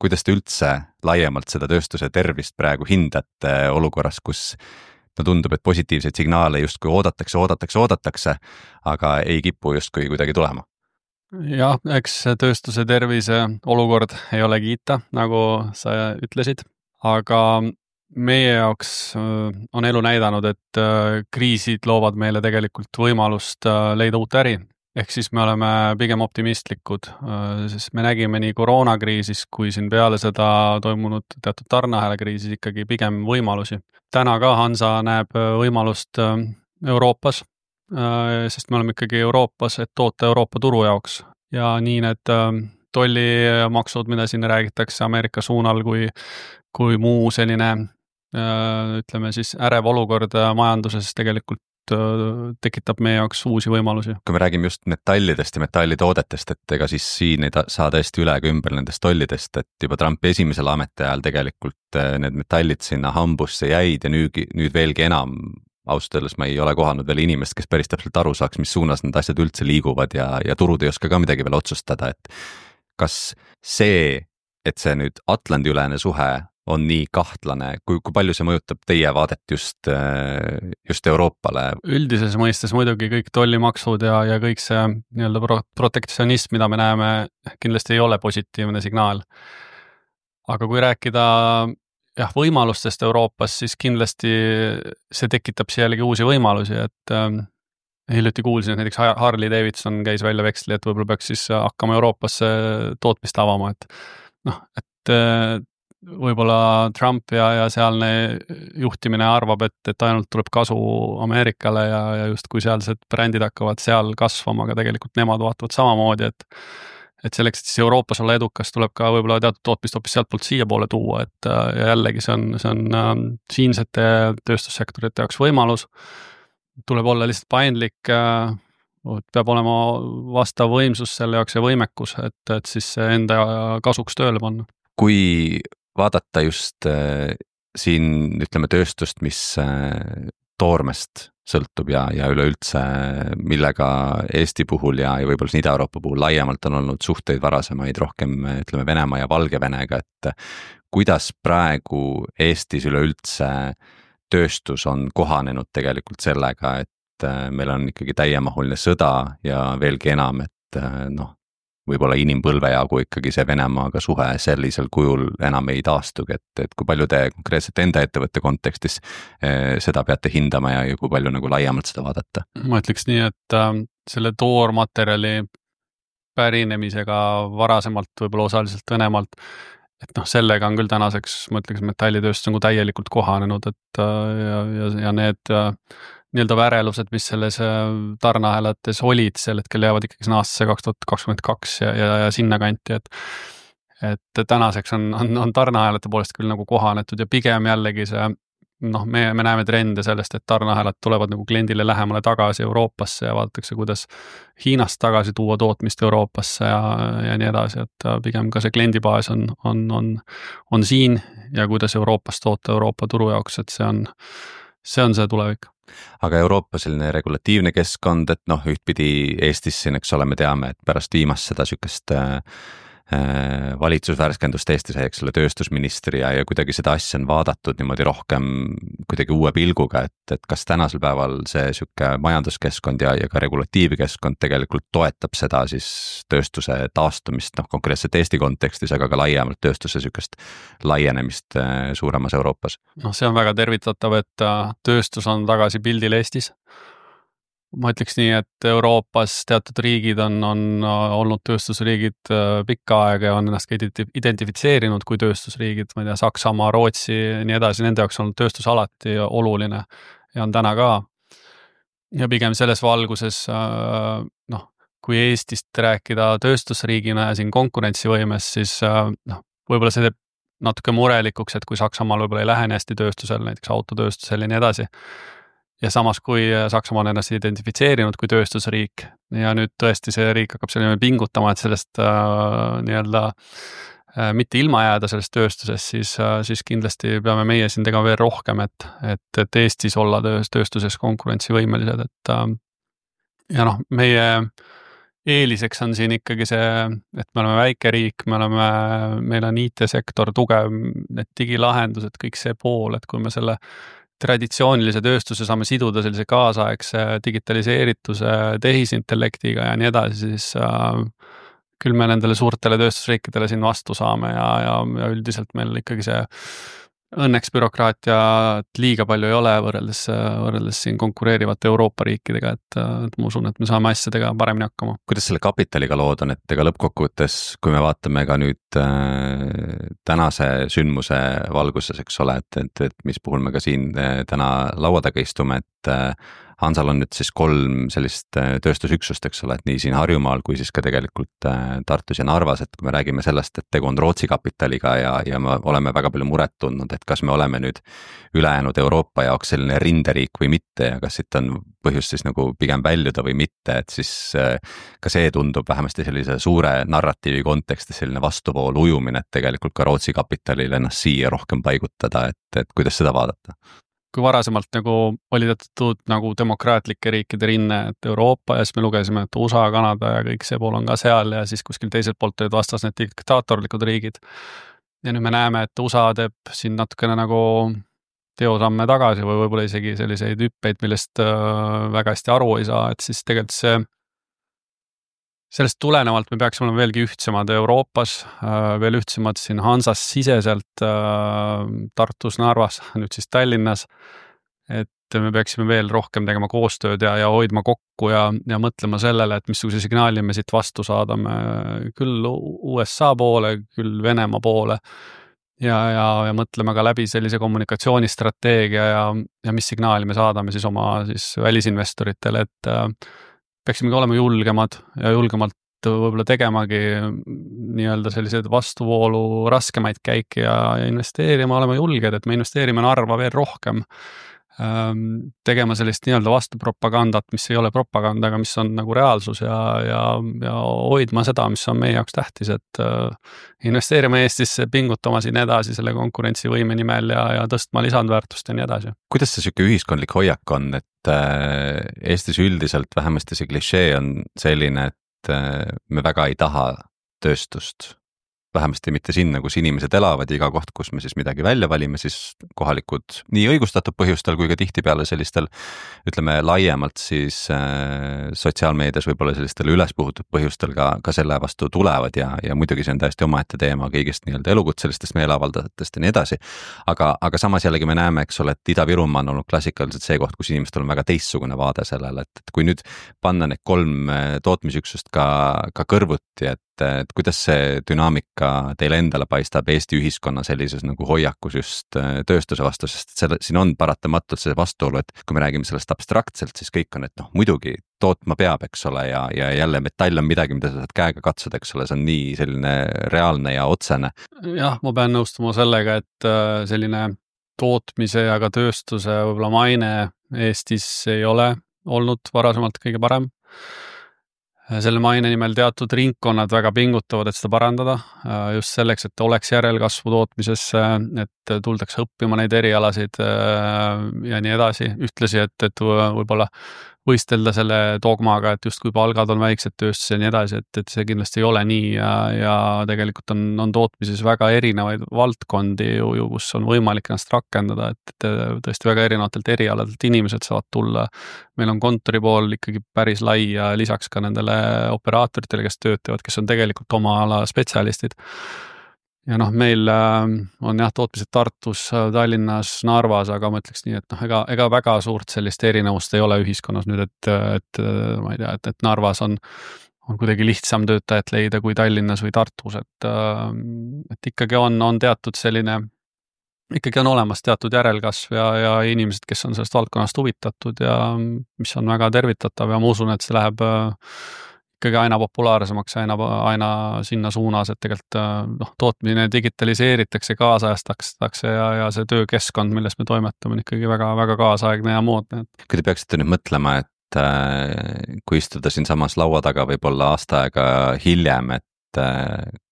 kuidas te üldse laiemalt seda tööstuse tervist praegu hindate olukorras, kus tundub, et positiivseid signaale justkui oodatakse, aga ei kipu justkui kuidagi tulema? Jah, eks tööstuse tervise olukord ei ole kiita, nagu sa ütlesid, aga meie jaoks on elu näidanud, et kriisid loovad meile tegelikult võimalust leida uut äri. Ehk siis me oleme pigem optimistlikud, sest me nägime nii koroonakriisis kui siin peale seda toimunud teatud tarneahela kriisis ikkagi pigem võimalusi. Täna ka Hansa näeb võimalust Euroopas, sest me oleme ikkagi Euroopas, et toota Euroopa turu jaoks ja nii need tollimaksud, mida siin räägitakse Ameerika suunal, kui muu selline, ütleme siis ärev olukord majanduses tegelikult tekitab meie jaoks uusi võimalusi. Kui me räägime just metallidest ja metallitoodetest, et ega siis siin ei saa tõesti üle ega ümber nendest tollidest, et juba Trumpi esimesel ametiajal tegelikult need metallid sinna hambusse jäid ja nüüd veelgi enam. Ausalt öeldes ma ei ole kohanud veel inimest, kes päris täpselt aru saaks, mis suunas need asjad üldse liiguvad ja turud ei oska ka midagi veel otsustada, et kas see, et see nüüd Atlandi-ülene suhe on nii kahtlane, kui palju see mõjutab teie vaadet just Euroopale? Üldises mõistes muidugi kõik tollimaksud ja kõik see nii-öelda protektsionism, mida me näeme, kindlasti ei ole positiivne signaal. Aga kui rääkida võimalustest Euroopas, siis kindlasti see tekitab siia jällegi uusi võimalusi, et hiljuti kuulsin, et näiteks Harley Davidson käis välja veksli, et võib-olla peaks siis hakkama Euroopasse tootmist avama, et võib-olla Trump ja sealne juhtimine arvab, et ainult tuleb kasu Ameerikale ja just kui sealsed brändid hakkavad seal kasvama, aga tegelikult nemad vaatavad samamoodi, et selleks, et siis Euroopas olla edukas, tuleb ka võib-olla teatud tootmist hoopis sealt poolt siia poole tuua, et ja jällegi see on siinsete tööstussektorite jaoks võimalus, tuleb olla lihtsalt paindlik, peab olema vastav võimsus selle jaoks ja võimekus, et siis enda kasuks tööle panna. Kui vaadata just siin, ütleme, tööstust, mis toormest sõltub ja üleüldse, millega Eesti puhul ja võib-olla Ida-Euroopa puhul laiemalt on olnud suhteid varasemaid rohkem, ütleme, Venemaa ja Valgevenega, et kuidas praegu Eestis üleüldse tööstus on kohanenud tegelikult sellega, et meil on ikkagi täiemahuline sõda ja veelgi enam, et võib-olla inimpõlve jagu ikkagi see Venemaaga suhe sellisel kujul enam ei taastugi, et kui palju te konkreetselt enda ettevõtte kontekstis seda peate hindama ja kui palju nagu laiemalt seda vaadata? Ma ütleks nii, et selle toormaterjali pärinemisega varasemalt võib-olla osaliselt Venemaalt, et sellega on küll tänaseks, ma ütleks, metallitööstus on täielikult kohanenud, et ja need nii-öelda värelused, mis selles tarneahelates olid, sel hetkel jäävad ikkagi sinna aastasse 2022 ja sinna kanti, et tänaseks on tarneahelate poolest küll nagu kohanetud ja pigem jällegi see, me näeme trende sellest, et tarneahelad tulevad nagu kliendile lähemale tagasi Euroopasse ja vaadatakse, kuidas Hiinast tagasi tuua tootmist Euroopasse ja nii edasi, et pigem ka see kliendibaas on siin ja kuidas Euroopas toota Euroopa turu jaoks, et see on see tulevik. Aga Euroopa selline regulatiivne keskkond, et ühtpidi Eestis siin, eks ole, me teame, et pärast viimast seda sükest valitsusvärskendust Eesti sai, eks ole, tööstusministri ja kuidagi seda asja on vaadatud niimoodi rohkem kuidagi uue pilguga, et kas tänasel päeval see sükke majanduskeskkond ja ka regulatiivkeskkond tegelikult toetab seda siis tööstuse taastumist, konkreetselt Eesti kontekstis, aga ka laiemalt tööstuse sükest laienemist suuremas Euroopas? See on väga tervitatav, et tööstus on tagasi pildil Eestis. Ma ütleks nii, et Euroopas teatud riigid on olnud tööstusriigid pikka aega ja on ennast ka identifitseerinud kui tööstusriigid, ma ei tea, Saksamaa, Rootsi ja nii edasi, nende jaoks on tööstus alati oluline. ja on täna ka. Ja pigem selles valguses, kui Eestist rääkida tööstusriigina ja siin konkurentsivõimes, siis võib-olla see teeb natuke murelikuks, et kui Saksamaal võib-olla ei lähe nii hästi tööstusel, näiteks autotööstusel ja nii edasi. Ja samas, kui Saksamaa on ennast identifitseerinud kui tööstusriik ja nüüd tõesti see riik hakkab selline pingutama, et sellest nii-öelda mitte ilma jääda sellest tööstusest, siis kindlasti peame meie siin tegema veel rohkem, et Eestis olla tööstuses konkurentsivõimelised, ja meie eeliseks on siin ikkagi see, et me oleme väike riik, meil on IT-sektor tugev, need digilahendused, kõik see pool, et kui me selle traditsioonilise tööstuse saame siduda sellise kaasaegse digitaliseerituse, tehisintellektiga ja nii edasi, siis küll me nendele suurtele tööstusriikidele siin vastu saame ja üldiselt meil ikkagi see õnneks bürokraatiat liiga palju ei ole võrreldes siin konkureerivate Euroopa riikidega, et ma usun, et me saame asjadega paremini hakkama. Kuidas selle kapitaliga lood on, et ega lõppkokkuvõttes, kui me vaatame ka nüüd tänase sündmuse valguses, eks ole, et mis puhul me ka siin täna laua taga istume, et Hansal on nüüd siis 3 sellist tööstusüksust, eks ole, et nii siin Harjumaal kui siis ka tegelikult Tartus ja Narvas, et kui me räägime sellest, et tegu on Rootsi kapitaliga ja me oleme väga palju muret tundnud, et kas me oleme nüüd ülejäänud Euroopa jaoks selline rinderiik või mitte ja kas siit on põhjust siis nagu pigem väljuda või mitte, et siis ka see tundub vähemasti sellise suure narratiivi kontekstis selline vastuvool ujumine, et tegelikult ka Rootsi kapitalil ennast siia rohkem paigutada, et kuidas seda vaadata? Kui varasemalt nagu oli teatud nagu demokraatlike riikide rinne, et Euroopa ja siis me lugesime, et USA, Kanada ja kõik see pool on ka seal ja siis kuskil teiselt poolt olid vastas need diktaatorlikud riigid. Ja nüüd me näeme, et USA teeb siin natukene nagu teosamme tagasi või võib-olla isegi selliseid hüppeid, millest väga hästi aru ei saa, et siis tegelikult sellest tulenevalt me peaksime olema veelgi ühtsemad Euroopas, veel ühtsemad siin Hansas siseselt Tartus, Narvas, nüüd siis Tallinnas, et me peaksime veel rohkem tegema koostööd ja hoidma kokku ja mõtlema sellele, et missuguse signaali me siit vastu saadame küll USA poole, küll Venemaa poole ja mõtleme ka läbi sellise kommunikatsioonistrateegia ja mis signaali me saadame siis oma siis välisinvestoritele, et peaksimegi olema julgemad ja julgemalt võib-olla tegemagi nii-öelda sellised vastuvoolu raskemaid käike ja investeerima olema julged, et me investeerime Narva veel rohkem, tegema sellist nii-öelda vastupropagandat, mis ei ole propaganda, aga mis on nagu reaalsus ja hoidma seda, mis on meie jaoks tähtis, et investeerima Eestisse, pingutama siin edasi selle konkurentsivõime nimel ja tõstma lisandväärtust ja nii edasi. Kuidas see siuke ühiskondlik hoiak on, et Eestis üldiselt vähemasti see klišee on selline, et me väga ei taha tööstust, vähemasti mitte sinna, kus inimesed elavad, iga koht, kus me siis midagi välja valime, siis kohalikud nii õigustatud põhjustel kui ka tihtipeale sellistel, ütleme laiemalt siis sotsiaalmeedias võib-olla sellistel ülespuhutud põhjustel ka selle vastu tulevad ja muidugi see on täiesti omaette teema kõigist nii-öelda elukutselistest meeleavaldajatest ja nii edasi. Aga samas jällegi me näeme, eks ole, et Ida-Virumaa on olnud klassikaliselt see koht, kus inimestel on väga teistsugune vaade sellele, et kui nüüd panna need 3 tootmisüksust ka kõrvuti, et kuidas see dünaamika teile endale paistab Eesti ühiskonna sellises nagu hoiakus just tööstuse vastu, sest siin on paratamatult see vastuolu, et kui me räägime sellest abstraktselt, siis kõik on, et muidugi tootma peab, eks ole, ja jälle metall on midagi, mida sa saad käega katsuda, eks ole, see on nii selline reaalne ja otsene. Jah, ma pean nõustuma sellega, et selline tootmise ja ka tööstuse võib-olla maine Eestis ei ole olnud varasemalt kõige parem. Selle maine nimel teatud ringkonnad väga pingutavad, et seda parandada, just selleks, et oleks järelkasvu tootmisesse, et tuldakse õppima neid erialasid ja nii edasi. Ühtlasi, et võib-olla võistelda selle dogmaga, et just kui palgad on väiksed tööstus ja nii edasi, et see kindlasti ei ole nii ja tegelikult on tootmises väga erinevaid valdkondi, kus on võimalik ennast rakendada, et tõesti väga erinevatelt erialadelt inimesed saavad tulla. Meil on kontori pool ikkagi päris lai ja lisaks ka nendele operaatoritele, kes töötavad, kes on tegelikult oma ala spetsialistid. Ja meil on tootmised Tartus, Tallinnas, Narvas, aga ma ütleks nii, et ega väga suurt sellist erinevust ei ole ühiskonnas nüüd, et ma ei tea, et Narvas on kuidagi lihtsam töötajat leida kui Tallinnas või Tartus, et ikkagi on teatud selline ikkagi on olemas teatud järelkasv ja inimesed, kes on sellest valdkonnast huvitatud ja mis on väga tervitatav ja ma usun, et see läheb ikkagi aina populaarsemaks, aina sinna suunas, et tegelikult tootmine digitaliseeritakse, kaasajastatakse ja see töökeskkond, milles me toimetame, on ikkagi väga, väga kaasaegne ja moodne. Kui te peaksite nüüd mõtlema, et kui istuda siin samas laua taga võib-olla aasta aega hiljem, et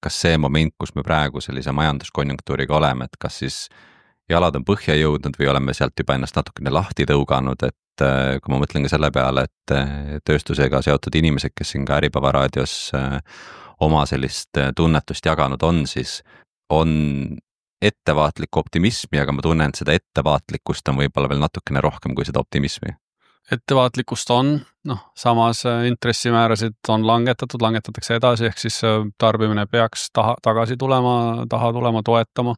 kas see moment, kus me praegu sellise majanduskonjunktuuriga oleme, et kas siis jalad on põhja jõudnud või oleme sealt juba ennast natukene lahti tõuganud, et kui ma mõtlen ka selle peale, et tööstusega seotud inimesed, kes siin ka Äripäeva raadios oma sellist tunnetust jaganud on, siis on ettevaatlikku optimismi, aga ma tunnen, et seda ettevaatlikkust on võib-olla veel natukene rohkem kui seda optimismi. Ettevaatlikkust on, samas intressimäärasid on langetatakse edasi, ehk siis tarbimine peaks taha tulema toetama.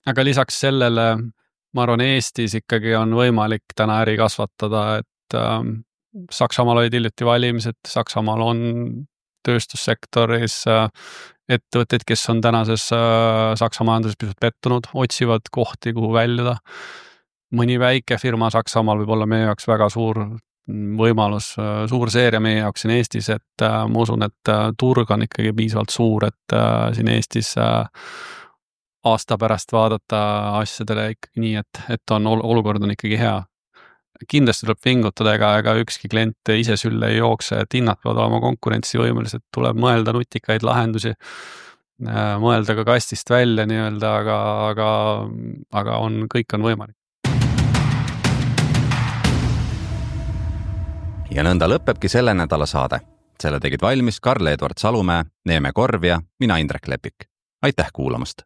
Aga lisaks sellele, ma arvan, Eestis ikkagi on võimalik täna äri kasvatada, et Saksamaal olid hiljuti valimised, Saksamaal on tööstussektoris ettevõtteid, kes on tänases Saksa majanduses pisut pettunud, otsivad kohti, kuhu väljuda. Mõni väike firma Saksamaal võib olla meie jaoks väga suur võimalus, suur seeria meie jaoks siin Eestis, et ma usun, et turg on ikkagi piisavalt suur, et siin Eestis aasta pärast vaadata asjadele ikkagi nii, et olukord on ikkagi hea. Kindlasti tuleb pingutada, ega ükski klient ise sülle ei jookse, et hinnad peavad olema konkurentsivõimelised, tuleb mõelda nutikaid lahendusi, mõelda ka kastist välja nii-öelda, aga kõik on võimalik. Ja nõnda lõpebki selle nädala saade. Selle tegid valmis Karl-Edvard Salumäe, Neeme Korv ja mina Indrek Lepik. Aitäh kuulamast!